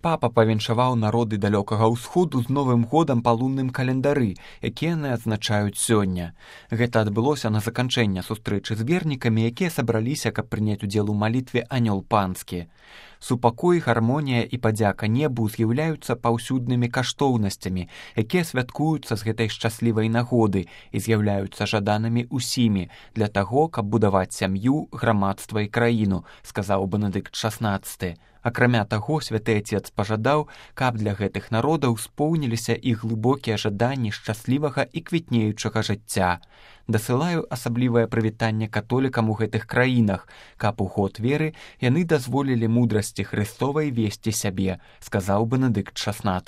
Папа павіншаваў народы далёкага ўсходу з Новым годам па лунным календары, які яны адзначаюць сёння. Гэта адбылося на заканчэнне сустрэчы з вернікамі, якія сабраліся, каб прыняць удзел у малітве «Анёл панскі». Супакой, гармонія і падзяка небу з'яўляюцца паўсюднымі каштоўнасцямі, якія святкуюцца з гэтай шчаслівай нагоды і з'яўляюцца жаданымі ўсімі для таго, каб будаваць сям'ю, грамадства і краіну, сказаў Бенедыкт XVI. Акрамя таго, святы Отец пажадаў, каб для гэтых народаў споўніліся іх глыбокія жаданні шчаслівага і квітнеючага жыцця. Дасылаю асаблівае прывітанне католікам у гэтых краінах, каб у год веры яны дазволілі мудрасці Хрыстовай весці сябе, сказаў Бенедыкт XVI.